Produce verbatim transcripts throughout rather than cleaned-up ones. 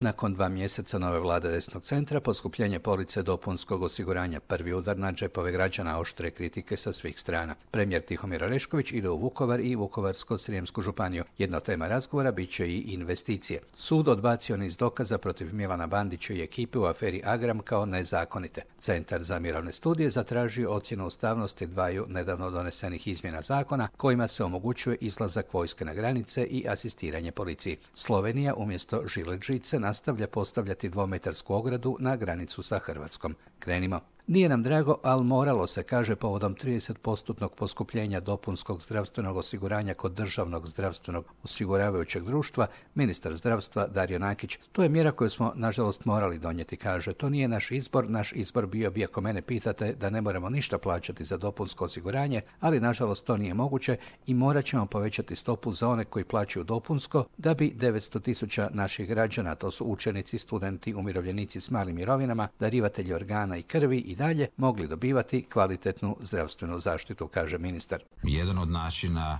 Nakon dva mjeseca nove vlade desnog centra, poskupljenje police dopunskog osiguranja prvi udar na džepove građana, oštre kritike sa svih strana. Premijer Tihomir Orešković ide u Vukovar i Vukovarsko-srijemsku županiju. Jedna od tema razgovora bit će i investicije. Sud odbacio niz dokaza protiv Milana Bandića i ekipe u aferi Agram kao nezakonite. Centar za mirovne studije zatražio ocjenu ustavnosti dvaju nedavno donesenih izmjena zakona kojima se omogućuje izlazak vojske na granice i asistiranje policiji. Slovenija umjesto žilet žice nastavlja postavljati dvometarsku ogradu na granicu sa Hrvatskom. Krenimo. Nije nam drago, ali moralo se, kaže povodom trideset posto poskupljenja dopunskog zdravstvenog osiguranja kod državnog zdravstvenog osiguravajućeg društva, ministar zdravstva Dario Nakić. To je mjera koju smo, nažalost, morali donijeti, kaže. To nije naš izbor, naš izbor bio bi, ako mene pitate, da ne moramo ništa plaćati za dopunsko osiguranje, ali nažalost to nije moguće i morat ćemo povećati stopu za one koji plaćaju dopunsko, da bi devetsto tisuća naših građana, to su učenici, studenti, umirovljenici s malim mirovinama, darivatelji organa i krvi i dalje mogli dobivati kvalitetnu zdravstvenu zaštitu, kaže ministar. Jedan od načina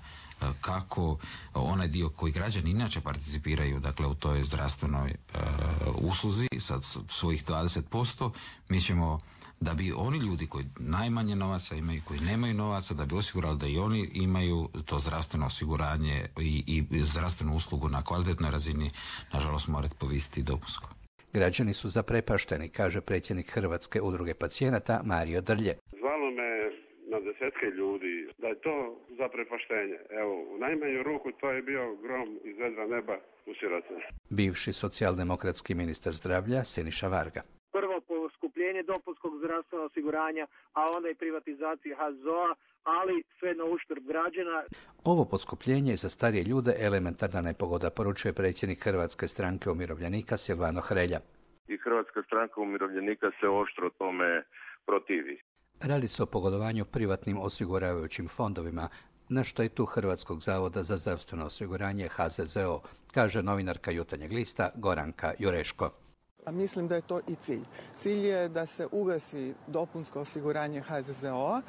kako onaj dio koji građani inače participiraju, dakle u toj zdravstvenoj uh, usluzi sa svojih dvadeset posto, mi ćemo, da bi oni ljudi koji najmanje novaca imaju, koji nemaju novaca, da bi osigurali da i oni imaju to zdravstveno osiguranje i, i zdravstvenu uslugu na kvalitetnoj razini, nažalost morati povisiti dopunsko. Građani su zaprepašteni, kaže predsjednik Hrvatske udruge pacijenata Mario Drlje. Zvalo me na desetke ljudi da je to zaprepaštenje. Evo, u najmanju ruku to je bio grom iz vedra neba u siroce. Bivši socijaldemokratski ministar zdravlja Siniša Varga. Prvo poskupljenje dopunskog zdravstvenog osiguranja, a onda i privatizacija H Z O A, ali sve na uštrb građana. Ovo poskupljenje za starije ljude elementarna nepogoda, poručuje predsjednik Hrvatske stranke umirovljenika Silvano Hrelja. I Hrvatska stranka umirovljenika se oštro tome protivi. Radi se o pogodovanju privatnim osiguravajućim fondovima na štetu Hrvatskog zavoda za zdravstveno osiguranje H Z Z O, kaže novinarka Jutarnjeg lista Goranka Jureško. Mislim da je to i cilj. Cilj je da se ugasi dopunsko osiguranje H Z Z O-a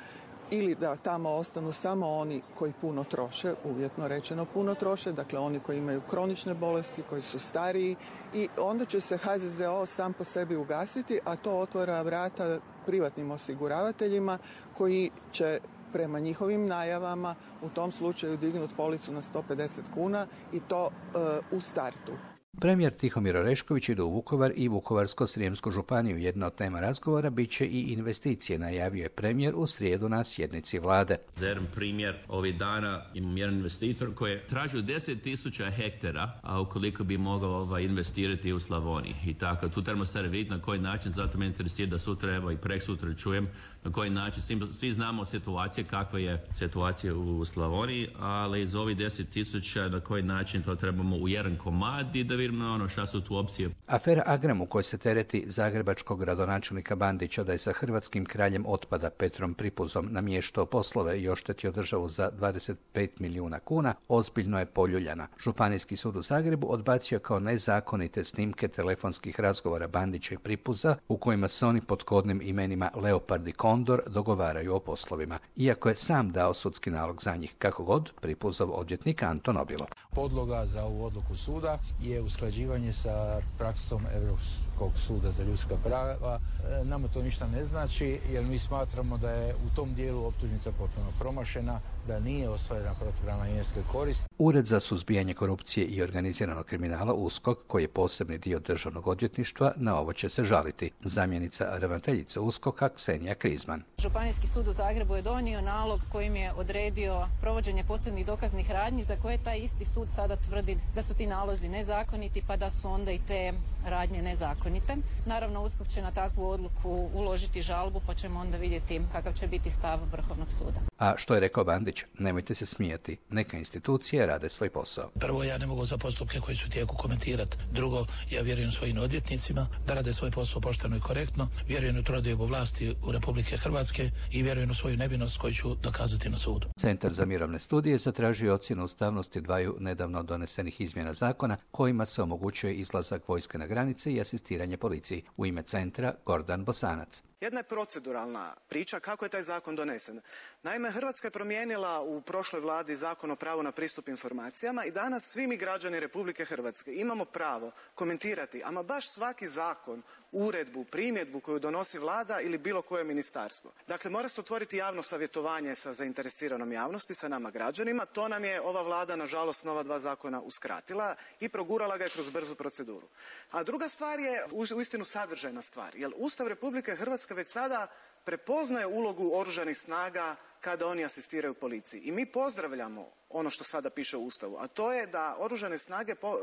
ili da tamo ostanu samo oni koji puno troše, uvjetno rečeno puno troše, dakle oni koji imaju kronične bolesti, koji su stariji, i onda će se H Z Z O sam po sebi ugasiti, a to otvara vrata privatnim osiguravateljima koji će prema njihovim najavama u tom slučaju dignuti policu na sto pedeset kuna i to e, u startu. Premijer Tihomir Orešković ide u Vukovar i Vukovarsko-srijemsku županiju. Jedna od tema razgovora bit će i investicije, najavio je premijer u srijedu na sjednici vlade. Za jedan primjer, ovih dana imam jedan investitor koji je tražio deset tisuća hektara, a ukoliko bi mogao ovaj, investirati u Slavoniji. I tako, tu trebamo stvari vidjeti na koji način, zato me interesira da sutra, evo i prek sutra čujem, na koji način, svi, svi znamo situacije, kakva je situacija u Slavoniji, ali za ovih deset tisuća na koji način to trebamo u jedan komad i da vidimo ono šta su tu opcije. Afera Agram u kojoj se tereti zagrebačkog gradonačelnika Bandića da je sa hrvatskim kraljem otpada Petrom Pripuzom namještao poslove i oštetio državu za dvadeset pet milijuna kuna, ozbiljno je poljuljana. Županijski sud u Zagrebu odbacio kao nezakonite snimke telefonskih razgovora Bandića i Pripuza u kojima se oni pod kodnim imenima Leopard i Kondor dogovaraju o poslovima, iako je sam dao sudski nalog za njih. Kako god, Pripuzov odvjetnik Anton Obilo. Podloga za ovu odluku suda je usklađivanje sa praksom Europskog suda za ljudska prava. E, nama to ništa ne znači, jer mi smatramo da je u tom dijelu optužnica potpuno promašena, da nije ostvarena protupravna imovinska korist. Ured za suzbijanje korupcije i organiziranog kriminala USKOK, koji je posebni dio državnog odvjetništva, na ovo će se žaliti. Zamjenica ravnateljice USKOK-a Ksenija Krizman. Županijski sud u Zagrebu je donio nalog kojim je odredio provođenje posebnih dokaznih radnji za koje taj isti sud sada tvrdi da su ti nalozi nezakoniti, pa da su onda i te radnje nezakonite. Naravno, USKOK će na takvu odluku uložiti žalbu, pa ćemo onda vidjeti kakav će biti stav Vrhovnog suda. A što je rekao Bandić? Nemojte se smijati. Neka institucije rade svoj posao. Prvo, ja ne mogu za postupke koji su tijeku komentirati. Drugo, ja vjerujem svojim odvjetnicima da rade svoj posao pošteno i korektno. Vjerujem u trodiobu vlasti u Republike Hrvatske i vjerujem u svoju nevinost koju ću dokazati na sudu. Centar za mirovne studije zatražio ocjenu ustavnosti dvaju nedavno donesenih izmjena zakona kojima se omogućuje izlazak vojske na granice i asistiranje policiji. U ime centra Gordan Bosanac. Jedna je proceduralna priča kako je taj zakon donesen. Naime, Hrvatska je promijenila u prošloj vladi zakon o pravu na pristup informacijama i danas svi mi građani Republike Hrvatske imamo pravo komentirati, ama baš svaki zakon, uredbu, primjedbu koju donosi vlada ili bilo koje ministarstvo. Dakle, mora se otvoriti javno savjetovanje sa zainteresiranom javnosti, sa nama građanima. To nam je ova vlada, nažalost, nova dva zakona uskratila i progurala ga je kroz brzu proceduru. A druga stvar je uistinu sadržajna stvar, jer Ustav Republike Hrvatske već sada prepoznaje ulogu oružanih snaga kada oni asistiraju policiji. I mi pozdravljamo ono što sada piše u Ustavu, a to je da oružane snage po,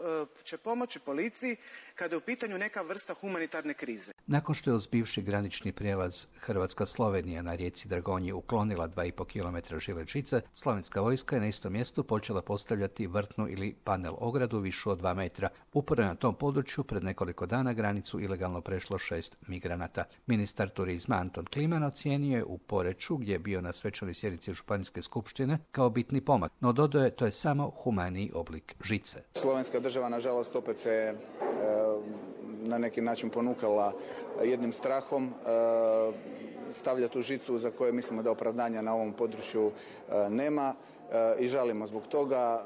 će pomoći policiji kada je u pitanju neka vrsta humanitarne krize. Nakon što je uz bivši granični prijelaz Hrvatska-Slovenija na rijeci Dragonji uklonila dva i pol kilometra žilet žice, slovenska vojska je na istom mjestu počela postavljati vrtnu ili panel ogradu višu od dva metra. Upravo na tom području pred nekoliko dana granicu ilegalno prešlo šest migranata. Ministar turizma Anton Kliman ocijenio je u Poreču, gdje je bio na svečanoj sjednici Županijske skupštine, kao bitni pomak, no dodao je to je samo humaniji oblik žice. Slovenska država, nažalost, opet se e, na neki način ponukala jednim strahom e, stavlja tu žicu za koje mislimo da opravdanja na ovom području e, nema e, i žalimo zbog toga.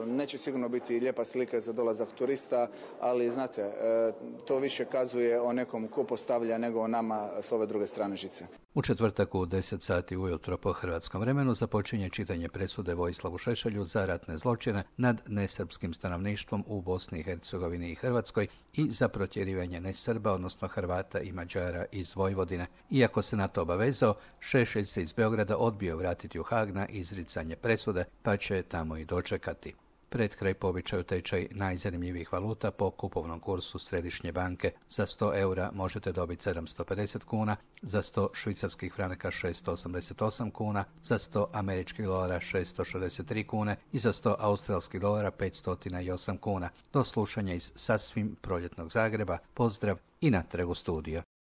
E, neće sigurno biti lijepa slika za dolazak turista, ali znate, e, to više kazuje o nekom ko postavlja nego o nama s ove druge strane žice. U četvrtak u deset sati ujutro po hrvatskom vremenu započinje čitanje presude Vojislavu Šešelju za ratne zločine nad nesrpskim stanovništvom u Bosni i Hercegovini i Hrvatskoj i za protjerivanje nesrba, odnosno Hrvata i Mađara iz Vojvodine. Iako se na to obavezao, Šešelj se iz Beograda odbio vratiti u Hag na izricanje presude, pa će tamo i dočekati. Pred kraj po običaju tečaj najzanimljivijih valuta po kupovnom kursu Središnje banke. Za sto eura možete dobiti sedamsto pedeset kuna, za sto švicarskih franaka šesto osamdeset osam kuna, za sto američkih dolara šesto šezdeset tri kune i za sto australskih dolara petsto osam kuna. Do slušanja iz sasvim proljetnog Zagreba. Pozdrav i natrag u studio.